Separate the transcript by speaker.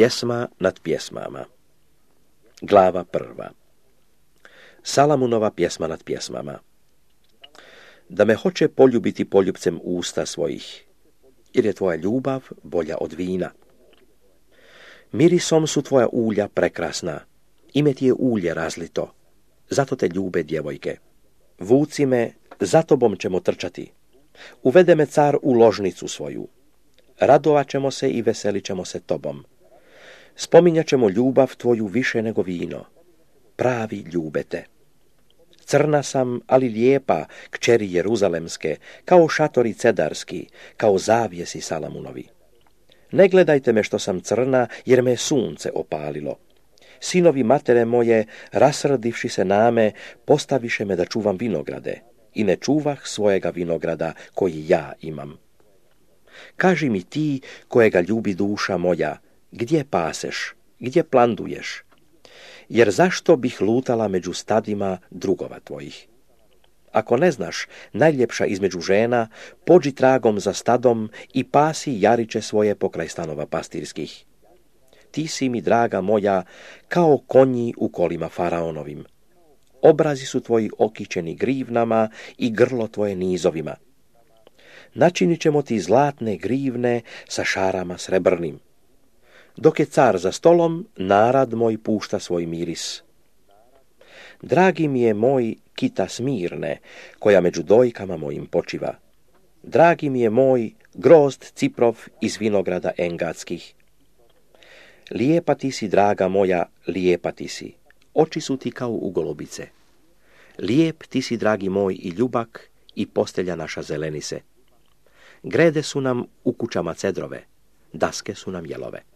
Speaker 1: Pjesma nad pjesmama. Glava 1. Salamunova pjesma nad pjesmama. Da me hoće poljubiti poljubcem usta svojih, jer je tvoja ljubav bolja od vina. Mirisom su tvoja ulja prekrasna, ime ti je ulje razlito, zato te ljube djevojke. Vuci me, za tobom ćemo trčati. Uvede me car u ložnicu svoju. Radovat ćemo se i veselit ćemo se tobom. Spominjat ćemo ljubav tvoju više nego vino. Pravi ljube te. Crna sam, ali lijepa, kćeri Jeruzalemske, kao šatori cedarski, kao zavjesi Salamunovi. Ne gledajte me što sam crna, jer me sunce opalilo. Sinovi matere moje, rasrdivši se name, postaviše me da čuvam vinograde, i ne čuvah svojega vinograda koji ja imam. Kaži mi ti, kojega ljubi duša moja, gdje paseš, gdje planduješ? Jer zašto bih lutala među stadima drugova tvojih? Ako ne znaš, najljepša između žena, pođi tragom za stadom i pasi jariće svoje pokraj stanova pastirskih. Ti si mi, draga moja, kao konji u kolima faraonovim. Obrazi su tvoji okićeni grivnama i grlo tvoje nizovima. Načinit ćemo ti zlatne grivne sa šarama srebrnim. Dok je car za stolom, narad moj pušta svoj miris. Dragi mi je moj kita Smirne, koja među dojkama mojim počiva. Dragi mi je moj grozd Ciprov iz vinograda engadskih. Lijepa ti si, draga moja, lijepa ti si. Oči su ti kao ugolobice. Lijep ti si, dragi moj, i ljubak, i postelja naša zeleni se. Grede su nam u kućama cedrove, daske su nam jelove.